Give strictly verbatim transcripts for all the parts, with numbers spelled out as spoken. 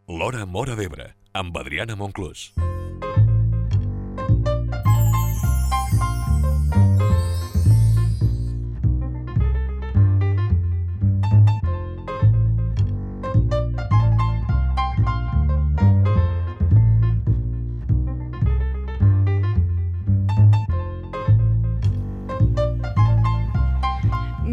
L'Hora Móra d'Ebre, amb Adriana Monclús.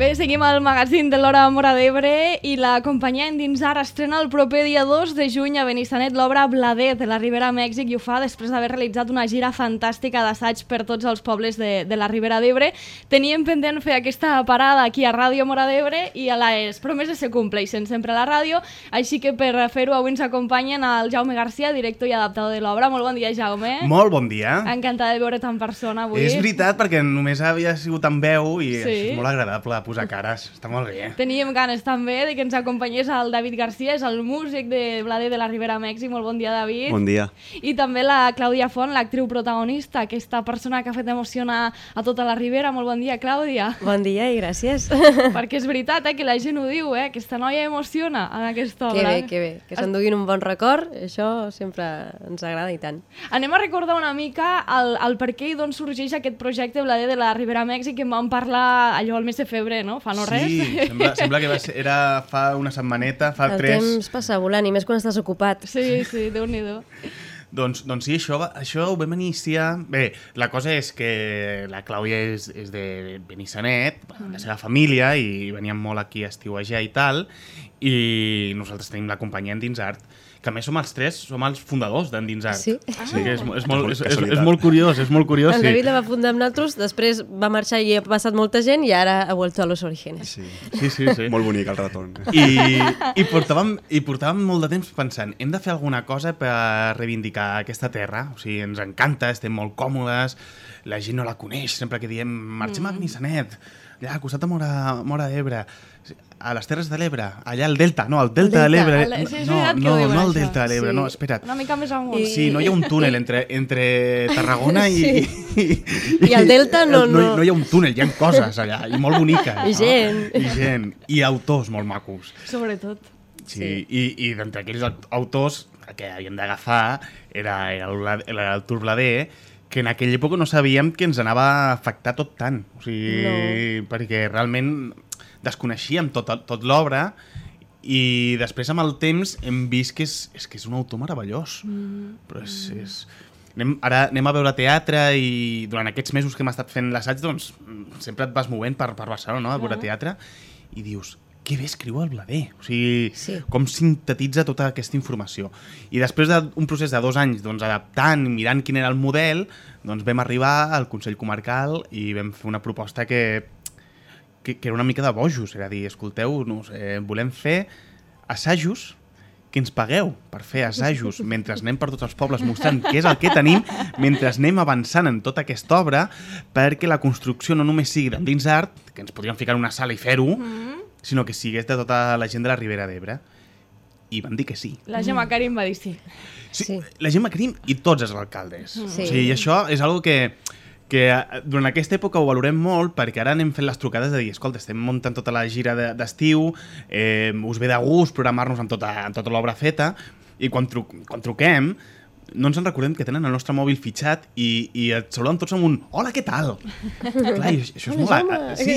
Bé, seguim al magazín de l'Hora Móra d'Ebre i la companyia Endinsar estrena el proper dia dos de juny a Benissanet l'obra Blader de la Ribera Mèxic i ho fa després d'haver realitzat una gira fantàstica d'assaig per tots els pobles de, de la Ribera d'Ebre. Teníem pendent fer aquesta parada aquí a Ràdio Móra d'Ebre i a les promeses se compleixen sempre a la ràdio, així que per fer-ho avui ens acompanyen el Jaume Garcia, director i adaptador de l'obra. Molt bon dia, Jaume. Molt bon dia. Encantada de veure't en persona avui. És veritat, perquè només havia sigut en veu i sí. És molt agradable posar cares, està molt bé. Teníem ganes també de que ens acompanyés el David Garcia, és el músic de Blader de la Ribera Mèxic. Molt bon dia, David. Bon dia. I també la Clàudia Font, l'actriu protagonista, aquesta persona que ha fet emocionar a tota la Ribera. Molt bon dia, Clàudia. Bon dia i gràcies. Perquè és veritat eh, que la gent ho diu, eh? Aquesta noia emociona en aquesta obra. Que bé, que bé. Que s'enduguin un bon record, això sempre ens agrada i tant. Anem a recordar una mica el, el per què i d'on sorgeix aquest projecte Blader de la Ribera Mèxic, que en vam parlar allò al mes de febrer, no? Fa no res. Sí, sembla, sembla que va ser, era fa una setmaneta, fa el tres... El temps passa volant, i més quan estàs ocupat. Sí, sí, Déu-n'hi-do. Doncs, doncs sí, això, va, això ho vam iniciar... Bé, la cosa és que la Clàudia és, és de Benissanet, mm. la seva família, i veníem molt aquí a estiuejar i tal, i nosaltres tenim la companyia Endinsart, que a més som els tres, som els fundadors d'Endinsart. Sí? Ah. Sí, que és, és, molt, és, és, és molt curiós, és molt curiós. El sí. David la va fundar amb nosaltres, després va marxar i ha passat molta gent i ara ha vuelto a los orígenes. Sí, sí, sí. sí. Molt bonic el retorn. I, i, portàvem, I portàvem molt de temps pensant, hem de fer alguna cosa per reivindicar aquesta terra, o sigui, ens encanta, estem molt còmodes, la gent no la coneix, sempre que diem marxem mm. a Benissanet, allà al costat de Móra, Móra d'Ebre, a les Terres de l'Ebre, allà al Delta, no, al Delta, Delta de l'Ebre. Sí, no, no, diuen, no al això. Delta de l'Ebre, Sí. no, espera't. Una mica més amunt. I... Sí, no hi ha un túnel entre, entre Tarragona i, Sí. i, i... I al Delta no, no. no. No hi ha un túnel, hi ha coses allà, i molt boniques. I gent. No? I gent. I autors molt macos. Sobretot. Sí, sí. I, i d'entre aquells autors que havíem d'agafar era, era, el, era el Tour Blader, que en aquella època no sabíem que ens anava a afectar tot tant. O sigui, no. Perquè realment desconeixíem tot, tot l'obra i després amb el temps hem vist que és, és, que és un autor meravellós. Mm. Però és... és... Anem, ara anem a veure teatre i durant aquests mesos que hem estat fent l'assaig, doncs sempre et vas movent per, per Barcelona, no? A veure teatre i dius... Que bé escriu el Blader, o sigui, sí. com sintetitza tota aquesta informació. I després d'un procés de dos anys doncs, adaptant, mirant quin era el model, doncs vam arribar al Consell Comarcal i vam fer una proposta que, que, que era una mica de bojos, era dir, escolteu-nos, eh, volem fer assajos que ens pagueu per fer assajos mentre anem per tots els pobles mostrant què és el que tenim, mentre anem avançant en tota aquesta obra, perquè la construcció no només sigui d'Endinsart, que ens podríem ficar en una sala i fer-ho, mm. sinó que sigués de tota la gent de la Ribera d'Ebre. I van dir que sí. La Gemma Karim va dir sí. Sí, Sí. la Gemma Karim i tots els alcaldes. Sí. O sigui, això és algo que, que durant aquesta època ho valorem molt, perquè ara anem fent les trucades de dir, escolta, estem muntant tota la gira d'estiu, eh, us ve de gust programar-nos amb tota, amb tota l'obra feta, i quan, tru quan truquem no ens en recordem que tenen el nostre mòbil fitxat i, i et saluden tots amb un hola, què tal? Clar, i això és Hola, molt... Jaume. Sí,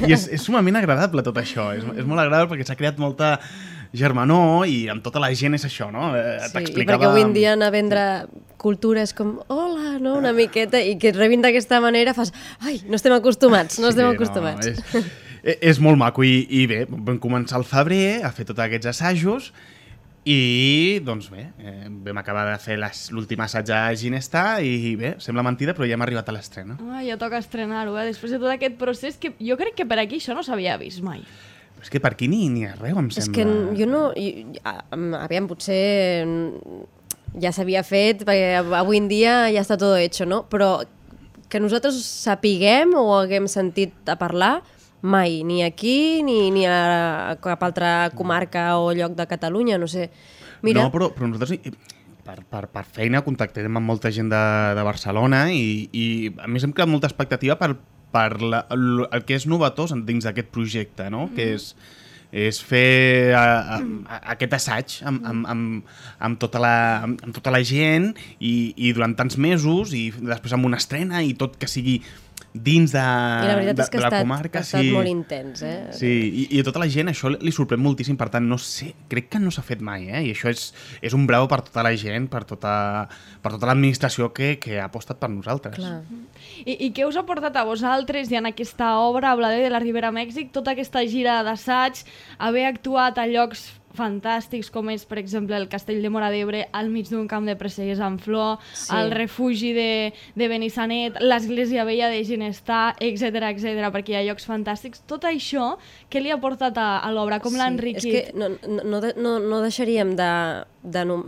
i és, és sumament agradable tot això. És, és molt agradable perquè s'ha creat molta germanor i amb tota la gent és això, no? Eh, Sí, i perquè avui en dia anar a vendre cultura és com, hola, no? Una miqueta, i que et rebin d'aquesta manera fas, ai, no estem acostumats, no estem sí, acostumats. No, és, és molt maco i, i bé, vam començar al febrer a fer tots aquests assajos i, doncs bé, eh, vam acabar de fer l'últim assaig a Ginestar i bé, sembla mentida, però ja hem arribat a l'estrena. Ah, ja toca estrenar-ho, eh? Després de tot aquest procés que jo crec que per aquí això no s'havia vist mai. Però és que per aquí ni, ni arreu, em És sembla. que jo no... Jo, aviam, potser ja s'havia fet, perquè avui en dia ja està tot hecho, no? Però que nosaltres sapiguem o haguem sentit a parlar, mai, ni aquí ni, ni a cap altra comarca o lloc de Catalunya, no sé. Mira... No, però, però nosaltres per, per, per feina contactem amb molta gent de, de Barcelona i, i a més hem creat molta expectativa per, per la, el, el que és novetós dins d'aquest projecte, no? Mm. Que és és fer a, a, a, aquest assaig amb, amb, amb, amb, tota la, amb, amb tota la gent i, i durant tants mesos i després amb una estrena i tot que sigui dins de, I la veritat de, és que de ha la estat, comarca. ha estat sí. molt intens, eh? Sí, i, i a tota la gent això li sorprèn moltíssim, per tant, no sé, crec que no s'ha fet mai, eh? I això és, és un bravo per tota la gent, per tota, per tota l'administració que, que ha apostat per nosaltres. Clar. I, I què us ha portat a vosaltres i en aquesta obra, Blader de la Ribera Mèxic, tota aquesta gira d'assaig, haver actuat a llocs fantàstics com és, per exemple, el Castell de Móra d'Ebre al mig d'un camp de presseguers amb flor, Sí. el refugi de, de Benissanet, l'església vella de Ginestar, etcètera, etcètera, perquè hi ha llocs fantàstics. Tot això, què li ha portat a, a l'obra? Com l'ha enriquit? És que no, no, no, no deixaríem de... de no...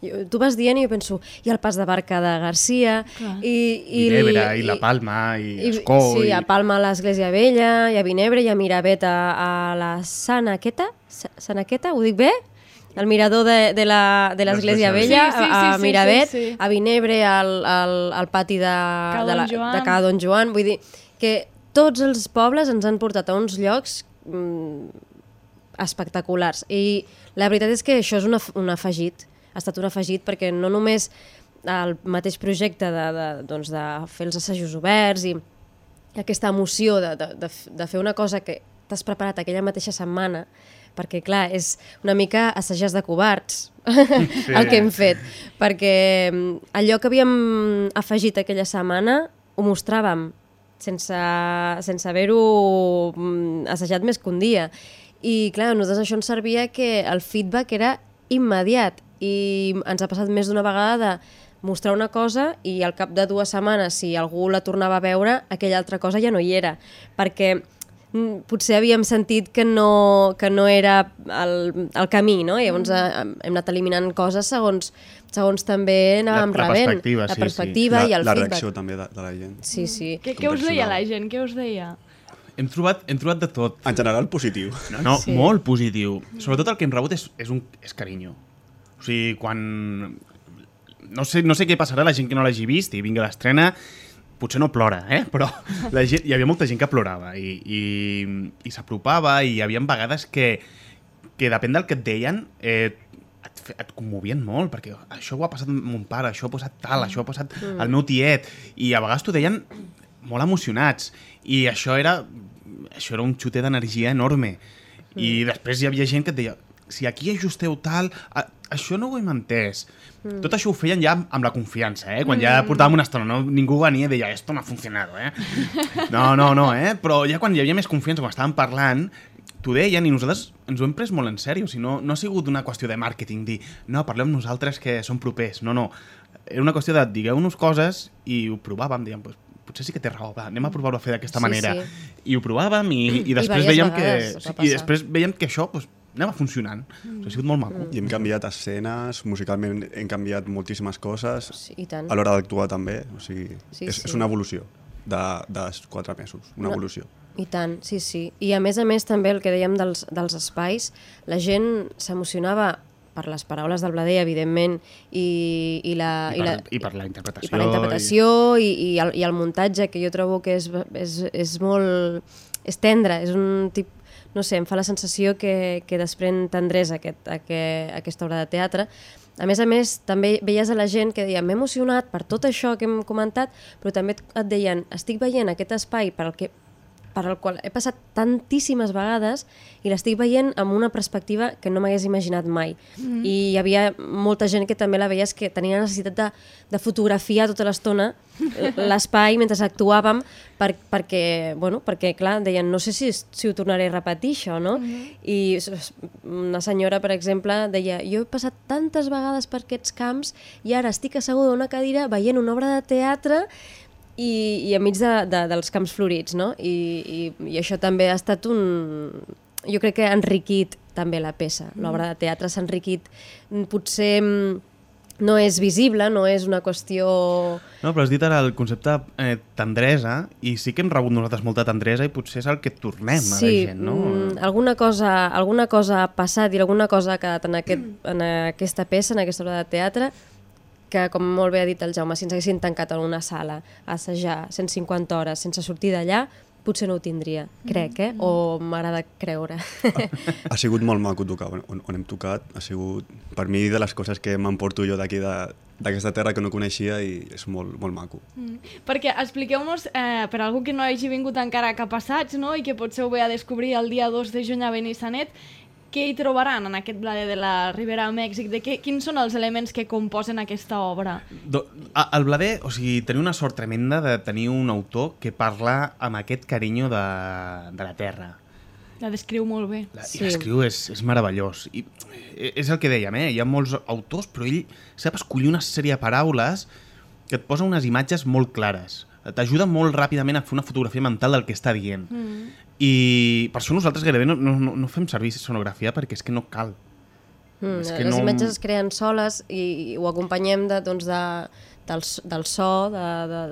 Jo, tu vas dient i jo penso, hi ha el pas de barca de Garcia Clar. i, I, I l'Ebre, i la Palma, i, i Escó... Sí, i... a Palma a l'Església Vella, hi ha Vinebre, hi ha Miravet a, a la Sanaqueta, Sa- Sanaqueta, ho dic bé? El mirador de, de la- de l'Església L'Església Vella, Vella. Sí, sí, a, a sí, sí, Miravet, sí, sí. a Vinebre, al, al, al pati de, Ca de, la, Don Joan. de Ca Don Joan. Vull dir que tots els pobles ens han portat a uns llocs mm, espectaculars. I la veritat és que això és un, af un afegit, ha estat un afegit perquè no només el mateix projecte de, de, doncs de fer els assajos oberts i aquesta emoció de, de, de, de fer una cosa que t'has preparat aquella mateixa setmana, perquè clar, és una mica assajar de covards sí. el que hem fet, perquè allò que havíem afegit aquella setmana ho mostràvem sense, sense haver-ho assajat més que un dia. I clar, a nosaltres això ens servia que el feedback era immediat i ens ha passat més d'una vegada de mostrar una cosa i al cap de dues setmanes, si algú la tornava a veure, aquella altra cosa ja no hi era, perquè mm, potser havíem sentit que no, que no era el, el camí, no? I llavors mm. hem anat eliminant coses segons, segons també anàvem La- la rebent. perspectiva, la sí, perspectiva la, i el la feedback. reacció també de, de la gent. Sí, sí. Què, què us deia la gent? Què us deia? Hem trobat, hem trobat de tot. En general, positiu. No, no Sí. sí. molt positiu. Sobretot el que hem rebut és, és, un, és carinyo. O sigui, quan... No sé, no sé què passarà a la gent que no l'hagi vist i vingui a l'estrena, potser no plora, eh? Però la gent, hi havia molta gent que plorava i, i, i s'apropava i hi havia vegades que, que depèn del que et deien, eh, et, fe- et commovien molt, perquè això ho ha passat amb mon pare, això ha passat tal, això ha passat Mm. al meu tiet, i a vegades t'ho deien molt emocionats, i això era, això era un xuter d'energia enorme. I després hi havia gent que et deia, si aquí ajusteu tal, a, això no ho hem entès. Mm. Tot això ho feien ja amb, amb la confiança, eh? Quan ja portàvem una estona, no, ningú venia i deia, esto no ha funcionado, eh? No, no, no, eh? Però ja quan hi havia més confiança, quan estàvem parlant, t'ho deien i nosaltres ens ho hem pres molt en sèrio. O sigui, no, no ha sigut una qüestió de màrqueting, dir, no, parleu amb nosaltres que som propers. No, no. Era una qüestió de digueu-nos coses i ho provàvem, diguem, pues, potser sí que té raó, va, anem a provar-ho a fer d'aquesta Sí, manera. sí. I ho provàvem i, i després diverses veiem que vegades va sí, i passar. després veiem que això pues, anava funcionant. Mm. Ha sigut molt maco. I hem canviat escenes, musicalment hem canviat moltíssimes coses, Sí, i tant. a l'hora d'actuar també. O sigui, Sí, és, sí. és una evolució de, de quatre mesos, una No. evolució. I tant, sí, sí. I a més a més també el que dèiem dels, dels espais, la gent s'emocionava per les paraules del Blader, evidentment, i, i, la, I, per, la, I per la interpretació. i per la interpretació i, i, el, i el muntatge, que jo trobo que és, és, és molt... és tendre, és un tip... no sé, em fa la sensació que, que desprèn tendresa aquest, aquest, aquesta obra de teatre. A més a més, també veies a la gent que deia, m'he emocionat per tot això que hem comentat, però també et deien, estic veient aquest espai per al que per al qual he passat tantíssimes vegades i l'estic veient amb una perspectiva que no m'hagués imaginat mai. Mm. I hi havia molta gent que també la veies que tenia necessitat de, de fotografiar tota l'estona l'espai mentre actuàvem per, perquè, bueno, perquè, clar, deien, no sé si, si ho tornaré a repetir, això, no? Mm. I una senyora, per exemple, deia, jo he passat tantes vegades per aquests camps i ara estic asseguda a una cadira veient una obra de teatre i, i enmig de, de, dels camps florits, no? I, i, i això també ha estat un... Jo crec que ha enriquit també la peça. L'obra de teatre s'ha enriquit. Potser no és visible, no és una qüestió... No, però has dit ara el concepte eh, tendresa, i sí que hem rebut nosaltres molta tendresa i potser és el que tornem sí, a la gent, no? Mm, alguna cosa, alguna cosa ha passat i alguna cosa ha quedat en, aquest, en aquesta peça, en aquesta obra de teatre, que, com molt bé ha dit el Jaume, si ens haguessin tancat en una sala a assajar cent cinquanta hores sense sortir d'allà, potser no ho tindria, crec, eh? O m'agrada creure. Ha sigut molt maco tocar on, on hem tocat. Ha sigut, per mi, de les coses que m'emporto jo d'aquí, d'aquesta terra que no coneixia, i és molt, molt maco. Mm. Perquè expliqueu-nos, eh, per algú que no hagi vingut encara cap a assaig, no?, i que potser ho ve a descobrir el dia dos de juny a Benissanet, què hi trobaran en aquest Blader de la Ribera a Mèxic? De què, quins són els elements que composen aquesta obra? Do, a, el Blader, o sigui, teniu una sort tremenda de tenir un autor que parla amb aquest carinyo de, de la terra. La descriu molt bé. La, Sí. I l'escriu és, és meravellós. I és el que dèiem, eh? Hi ha molts autors, però ell sap escollir una sèrie de paraules que et posa unes imatges molt clares. T'ajuda molt ràpidament a fer una fotografia mental del que està dient. Mm. I per això nosaltres gairebé no, no, no fem servir sonografia, perquè és que no cal. Mm, és que les no... imatges es creen soles i, i ho acompanyem de, doncs de, del, del so, de, de,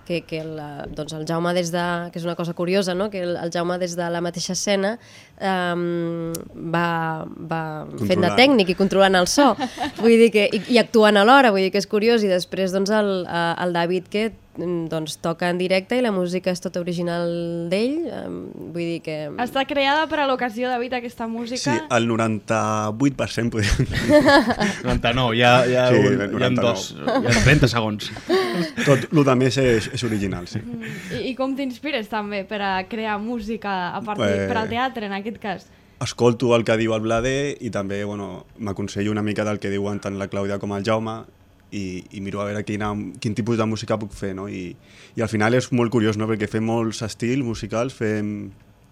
que, que el, doncs el Jaume des de... que és una cosa curiosa, no?, que el, el Jaume des de la mateixa escena um, va, va fent de tècnic i controlant el so, vull dir que, i, i actuant alhora, vull dir que és curiós, i després doncs el, el David, que doncs toca en directe i la música és tota original d'ell, vull dir que... Està creada per a l'ocasió, David, aquesta música? Sí, el noranta-vuit per cent podríem dir. noranta-nou, hi ha, hi ha, Sí, un, hi ha dos, hi ha trenta segons. Tot el que més és, és original, sí. Mm. I, I com t'inspires també per a crear música a partir, Eh... per al teatre, en aquest cas? Escolto el que diu el Blader i també bueno, m'aconsello una mica del que diuen tant la Clàudia com el Jaume, i, i miro a veure quina, quin tipus de música puc fer, no? I, i al final és molt curiós, no?, perquè fem molts estils musicals, fem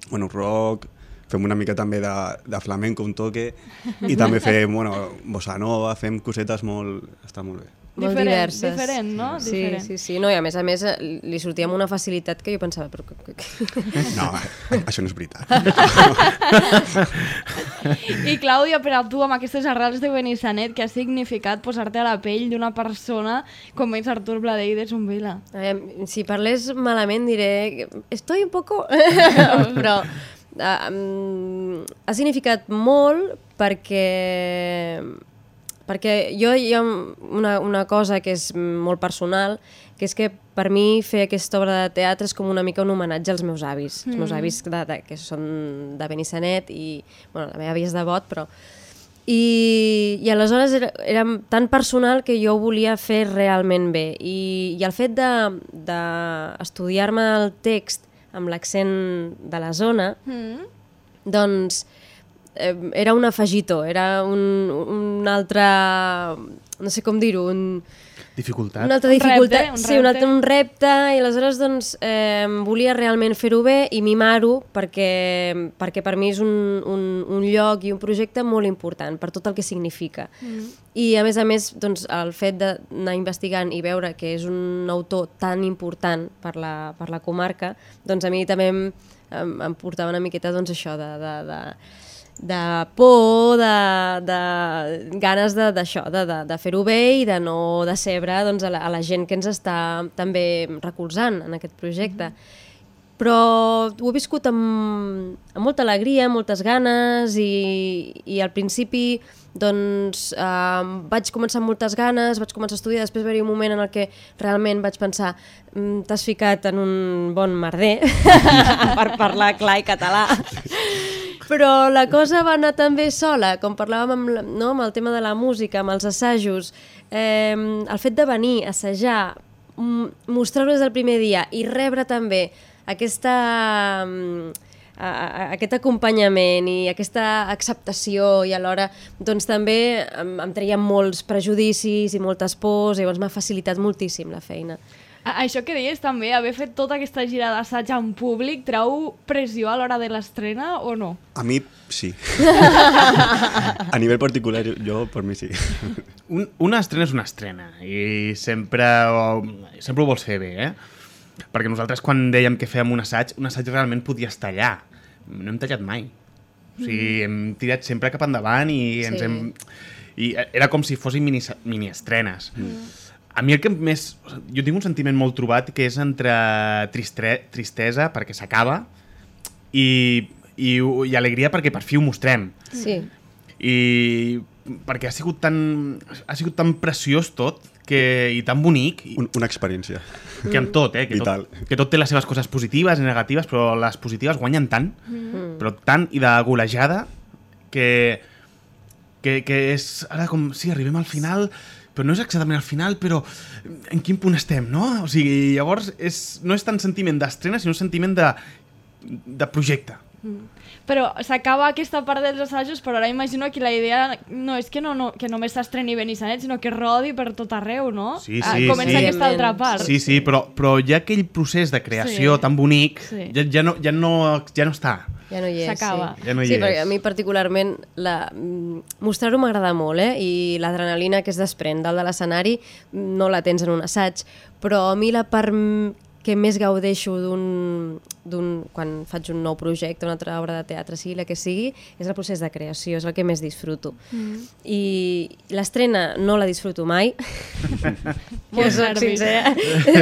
bueno, rock, fem una mica també de, de flamenco, un toque, i també fem bueno, bossa nova, fem cosetes molt... està molt bé. Molt diferent, diverses. Diferent, no? Sí, Diferent. sí, sí. No, i a més a més li sortia amb una facilitat que jo pensava, però... No, això no és veritat. I Clàudia, per a tu, amb aquestes arrels de Benissanet, què ha significat posar-te a la pell d'una persona com és Artur Blader i de Zumbila? Si parlés malament diré... Estoy un poco... però uh, um, ha significat molt perquè... perquè jo hi ha una, una cosa que és molt personal, que és que per mi fer aquesta obra de teatre és com una mica un homenatge als meus avis. Mm. Els meus avis de, de, que són de Benissanet i bueno, la meva àvia és de Bot, però... I, i aleshores era, era tan personal que jo ho volia fer realment bé. I, i el fet d'estudiar-me de, el text amb l'accent de la zona, mm. doncs... era un afegitó, era un, un altre, no sé com dir-ho, un... Dificultat. Una altra Un dificultat, repte, un sí, un, altre, repte. un repte, i aleshores doncs eh, volia realment fer-ho bé i mimar-ho perquè, perquè per mi és un, un, un lloc i un projecte molt important per tot el que significa. Mm. I a més a més, doncs, el fet d'anar investigant i veure que és un autor tan important per la, per la comarca, doncs a mi també em, em, em portava una miqueta doncs, això de... de, de de por, de, de ganes d'això, de, de, de fer-ho bé i de no decebre doncs, a, la, a la gent que ens està també recolzant en aquest projecte. Mm-hmm. Però ho he viscut amb, amb molta alegria, moltes ganes i, i al principi doncs, eh, vaig començar amb moltes ganes, vaig començar a estudiar, després va haver-hi un moment en el que realment vaig pensar t'has ficat en un bon merder per parlar clar i català. Però la cosa va anar tan bé sola, com parlàvem amb, no, amb el tema de la música, amb els assajos, eh, el fet de venir, assajar, mostrar-ho des del primer dia i rebre també aquesta, a, a, aquest acompanyament i aquesta acceptació i alhora doncs, també em, em treien molts prejudicis i moltes pors i llavors m'ha facilitat moltíssim la feina. Això que deies també, haver fet tota aquesta gira d'assaig en públic, treu pressió a l'hora de l'estrena o no? A mi sí. A nivell particular, jo per mi sí. Un, una estrena és una estrena i sempre, sempre ho vols fer bé, eh? Perquè nosaltres quan dèiem que fèiem un assaig, un assaig realment podia estar allà. No hem tallat mai. O sigui, hem tirat sempre cap endavant i ens Sí. hem... I era com si fossin mini, mini estrenes. Mm. A mi el que més... Jo tinc un sentiment molt trobat que és entre tristre, tristesa perquè s'acaba i, i, i alegria perquè per fi ho mostrem. Sí. I perquè ha sigut tan, ha sigut tan preciós tot que, i tan bonic, i, Un, una experiència. que amb tot, eh? Que Vital. tot, que tot té les seves coses positives i negatives, però les positives guanyen tant, mm. però tant i de golejada, que, que, que és ara com, sí, arribem al final, però no és exactament al final, però en quin punt estem, no? O sigui, llavors és, no és tant sentiment d'estrena, sinó sentiment de, de projecte. Mm. Però s'acaba aquesta part dels assajos, però ara imagino que la idea no és que, no, no, que només s'estreni Benissanet, sinó que rodi per tot arreu, no? Sí, Ah, sí, Comença sí. aquesta altra part. Sí, sí, però, però ja aquell procés de creació Sí. tan bonic Sí. ja, ja, no, ja, no, ja no està. Ja no hi és, S'acaba. sí. Ja no hi sí, és. perquè a mi particularment la, mm, mostrar-ho m'agrada molt, eh? I l'adrenalina que es desprèn dalt de l'escenari no la tens en un assaig, però a mi la part mm, que més gaudeixo d'un, d'un, quan faig un nou projecte, una altra obra de teatre, sigui la que sigui, és el procés de creació, és el que més disfruto. Mm. I l'estrena no la disfruto mai, que soc nervis. sincera,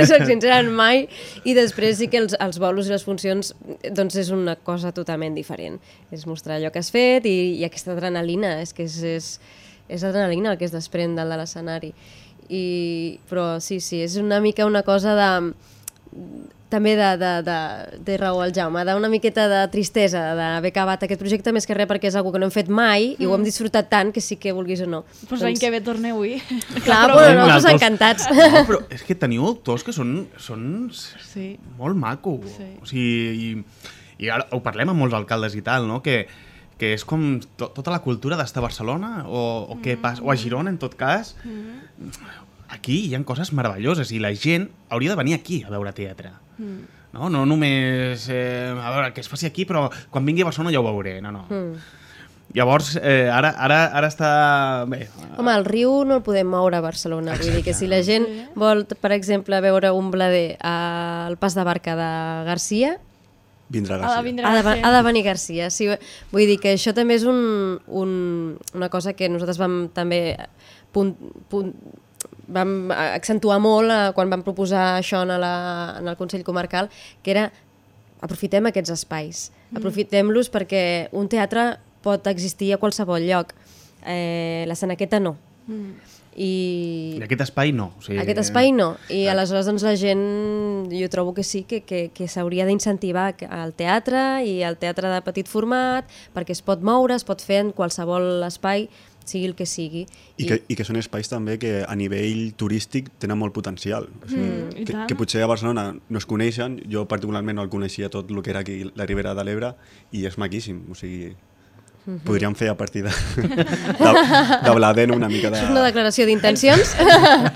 soc sincera en mai, i després sí que els, els bolos i les funcions doncs és una cosa totalment diferent. És mostrar allò que has fet i, i aquesta adrenalina, és que és, és, és adrenalina el que es desprèn dalt de l'escenari. I, però sí, sí, és una mica una cosa de... també de, de, de, de raó al Jaume, d'una miqueta de tristesa d'haver acabat aquest projecte, més que res perquè és una que no hem fet mai i ho hem disfrutat tant que sí que vulguis o no. Pues l'any que ve torneu-hi. Clar, Però bueno, nosaltres- nosaltres encantats. No, però és que teniu autors que són, són Sí. molt maco. Sí. O sigui, i, i ara ho parlem amb molts alcaldes i tal, no? Que, que és com to, tota la cultura d'estar a Barcelona o, o, què pas, o a Girona, en tot cas. Aquí hi ha coses meravelloses i la gent hauria de venir aquí a veure teatre. Mm. No, no només eh, a veure que es faci aquí, però quan vingui a Barcelona ja ho veuré. No, no. Mm. Llavors, eh, ara, ara, ara està... Bé, Home, el riu no el podem moure a Barcelona, vull dir que si la gent vol, per exemple, veure un blader al pas de barca de Garcia, Ha Vindrà de Garcia. vindre ha de, a ser. ha de venir Garcia. Sí, vull dir que això també és un, un, una cosa que nosaltres vam també punt, punt, vam accentuar molt eh, quan vam proposar això en, la, en el Consell Comarcal, que era aprofitem aquests espais, mm. aprofitem-los perquè un teatre pot existir a qualsevol lloc. Eh, la Senequeta no. Mm. I... I aquest espai no. O sigui, Aquest espai no, i aleshores doncs, la gent, jo trobo que sí, que, que, que s'hauria d'incentivar al teatre i al teatre de petit format, perquè es pot moure, es pot fer en qualsevol espai, sigui el que sigui. I que, I que són espais també que a nivell turístic tenen molt potencial. O sigui, Mm, i que, tant. que potser a Barcelona no es coneixen, jo particularment no el coneixia tot el que era aquí la Ribera de l'Ebre i és maquíssim, o sigui... Podríem fer a partir de, de, de Bladen una mica de... Això és una declaració d'intencions.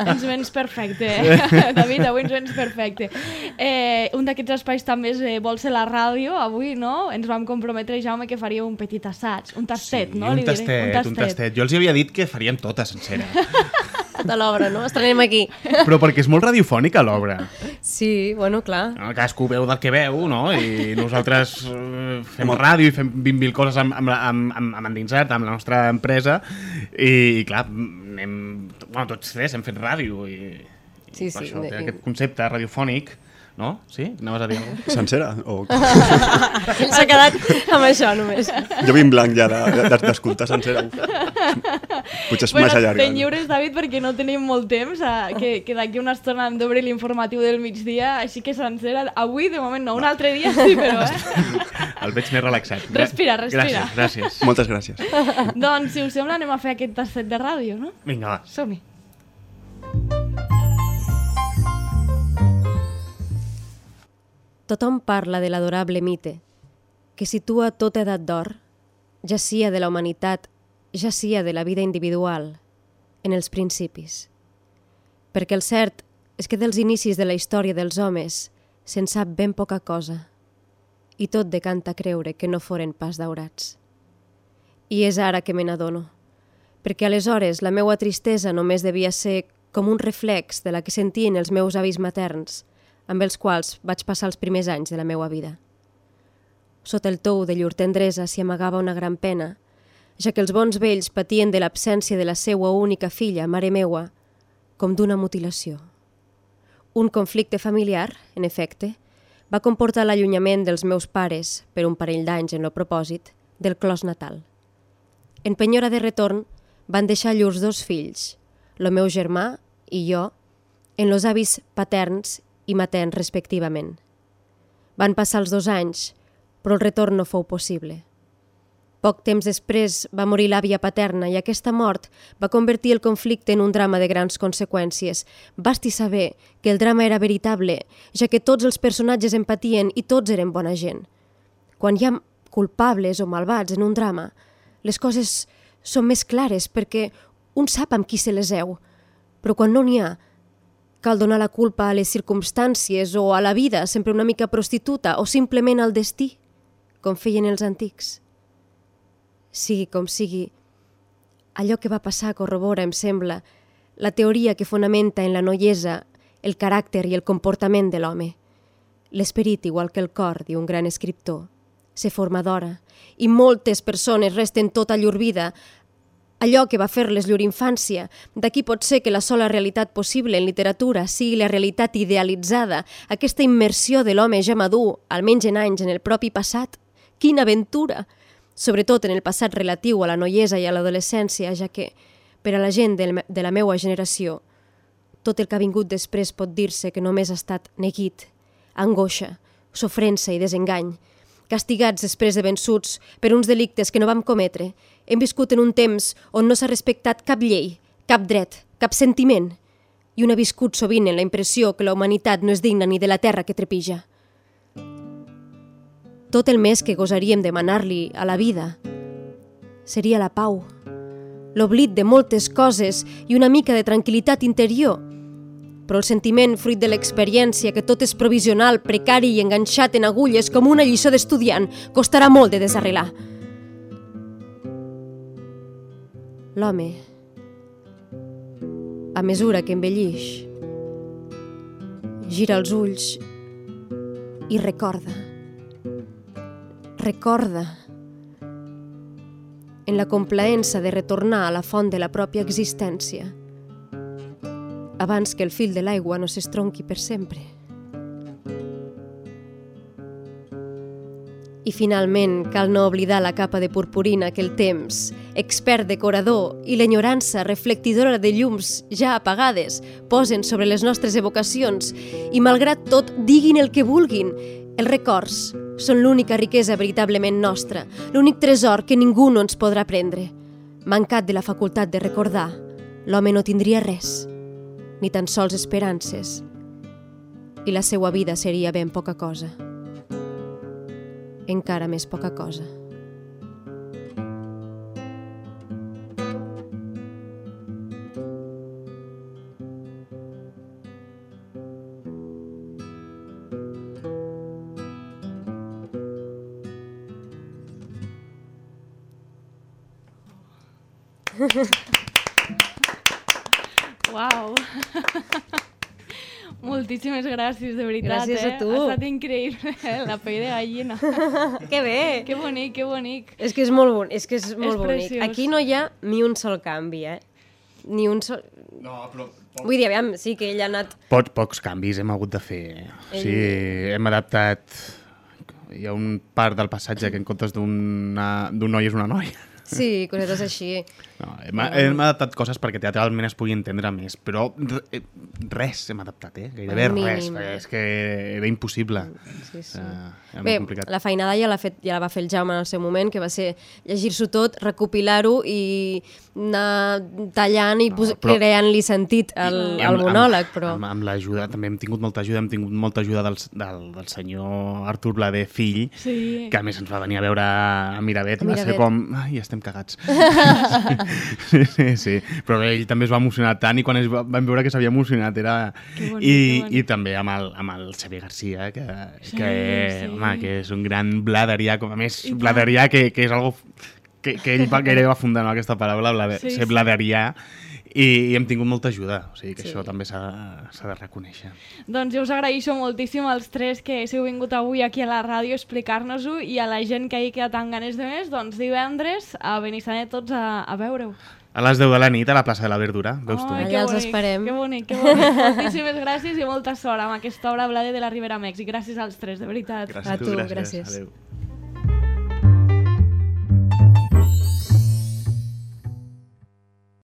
Ens vens perfecte, David, avui ens vens perfecte. Eh, un d'aquests espais també és eh, vol ser la ràdio, avui, no? Ens vam comprometre, Jaume, que faria un petit assaig, un tastet, sí, no? Un Li diré. tastet, un tastet. Jo els havia dit que farien tota sencera. Tota l'obra, no? Estrenem aquí. Però perquè és molt radiofònica l'obra. Sí, bueno, clar. No, cadascú veu del que veu, no? I nosaltres eh, fem ràdio i fem vint mil coses amb, amb, amb, amb, amb endinsat, amb la nostra empresa, i, i clar, anem, bueno, tots tres hem fet ràdio, i, i Sí, per sí, això de- té aquest concepte radiofònic, no? Sí? Anaves a dir alguna cosa? Sencera? O... Ell s'ha quedat amb això només. Jo vinc blanc ja de- de- d'escoltar sencera. Potser és Bueno, massa llarga. ten lliures, David, perquè no tenim molt temps, eh, que, que d'aquí una estona hem d'obrir l'informatiu del migdia, així que sencera, avui, de moment no, un altre dia sí, però, eh? El veig més relaxat. Respira, respira. Gràcies, gràcies. Moltes gràcies. Doncs, si us sembla, anem a fer aquest tastet de ràdio, no? Vinga, va. Som-hi. Tothom parla de l'adorable mite, que situa tota edat d'or, ja sia de la humanitat, ja sia de la vida individual, en els principis. Perquè el cert és que dels inicis de la història dels homes se'n sap ben poca cosa, i tot decanta creure que no foren pas daurats. I és ara que me n'adono, perquè aleshores la meua tristesa només devia ser com un reflex de la que sentien els meus avis materns, amb els quals vaig passar els primers anys de la meua vida. Sota el tou de llur tendresa s'hi amagava una gran pena, ja que els bons vells patien de l'absència de la seua única filla, mare meua, com d'una mutilació. Un conflicte familiar, en efecte, va comportar l'allunyament dels meus pares, per un parell d'anys en lo propòsit, del clos natal. En penyora de retorn, van deixar llurs dos fills, el meu germà i jo, en los avis paterns i materns respectivament. Van passar els dos anys, però el retorn no fou possible. Poc temps després va morir l'àvia paterna i aquesta mort va convertir el conflicte en un drama de grans conseqüències. Basti saber que el drama era veritable, ja que tots els personatges empatien i tots eren bona gent. Quan hi ha culpables o malvats en un drama, les coses són més clares perquè un sap amb qui se les heu, però quan no n'hi ha, cal donar la culpa a les circumstàncies o a la vida, sempre una mica prostituta, o simplement al destí, com feien els antics. Sigui com sigui, allò que va passar corrobora, em sembla, la teoria que fonamenta en la noiesa el caràcter i el comportament de l'home. L'esperit, igual que el cor, diu un gran escriptor, se forma d'hora, i moltes persones resten tota llur vida allò que va fer-les llur infància. D'aquí pot ser que la sola realitat possible en literatura sigui la realitat idealitzada, aquesta immersió de l'home ja madur, almenys en anys, en el propi passat. Quina aventura! Sobretot en el passat relatiu a la noiesa i a l'adolescència, ja que, per a la gent de la meua generació, tot el que ha vingut després pot dir-se que només ha estat neguit, angoixa, sofrença i desengany, castigats després de vençuts per uns delictes que no vam cometre. Hem viscut en un temps on no s'ha respectat cap llei, cap dret, cap sentiment, i un ha viscut sovint en la impressió que la humanitat no és digna ni de la terra que trepitja. Tot el més que gosaríem demanar-li a la vida seria la pau, l'oblit de moltes coses i una mica de tranquil·litat interior, però el sentiment fruit de l'experiència que tot és provisional, precari i enganxat en agulles com una lliçó d'estudiant costarà molt de desarrelar. L'home, a mesura que envellix, gira els ulls i recorda. Recorda, en la complaença de retornar a la font de la pròpia existència, abans que el fil de l'aigua no s'estronqui per sempre. I finalment cal no oblidar la capa de purpurina que el temps, expert decorador, i l'enyorança reflectidora de llums ja apagades posen sobre les nostres evocacions i, malgrat tot, diguin el que vulguin, els records són l'única riquesa veritablement nostra, l'únic tresor que ningú no ens podrà prendre. Mancat de la facultat de recordar, l'home no tindria res, ni tan sols esperances, i la seua vida seria ben poca cosa. Encara més poca cosa. Uau! Moltíssimes gràcies, de veritat. Gràcies a eh? tu. Ha estat increïble, eh? La pell de gallina. Que bé! Que bonic, que bonic. És que és molt bonic, és que és molt És bonic. preciós. Aquí no hi ha ni un sol canvi, eh? Ni un sol... No, però... Vull dir, aviam, sí que ell ha anat... Pocs, pocs canvis hem hagut de fer. O sigui, hem adaptat... Hi ha un part del passatge que en comptes d'un noi és una noia. Sí, cosetes així. No, hem, hem adaptat coses perquè teatralment es pugui entendre més, però res hem adaptat, eh? Gairebé El mínim. res, perquè és que era impossible. Sí, sí. Uh, era Bé, molt complicat. la feinada ja la, fet, ja la va fer el Jaume en el seu moment, que va ser llegir-s'ho tot, recopilar-ho i anar tallant i no, però... creant-li sentit al, al monòleg. Però... Amb, amb l'ajuda, també hem tingut molta ajuda, hem tingut molta ajuda del, del, del senyor Artur Blader, fill, Sí. que a més ens va venir a veure a Miravet, A va ser Miravet. com... Ai, estem cagats. sí, sí, sí, però ell també es va emocionar tant i quan es va, vam veure que s'havia emocionat era... Que bonic, I, que bonic. I també amb el, amb el Xavier Garcia, que, Sí, que, sí. home, que és un gran bladerià, com a més, I tant. bladerià que, que és algo que, que ell va, gairebé va fundar, no, aquesta paraula, blade, Sí, ser sí. bladerià, i, i hem tingut molta ajuda, o sigui que Sí. això també s'ha s'ha de reconèixer. Doncs jo us agraeixo moltíssim als tres que heu vingut avui aquí a la ràdio a explicar-nos-ho i a la gent que hi queda tan ganes de més, doncs divendres a Benissanet tots a, a veure-ho. A les deu de la nit a la plaça de la Verdura, veus tu? Ai, Allà que els bonic, esperem. Que bonic, que bonic. Moltíssimes gràcies i molta sort amb aquesta obra Blade de la Ribera Mèxic. Gràcies als tres, de veritat. Gràcies A tu, gràcies. gràcies. Adéu.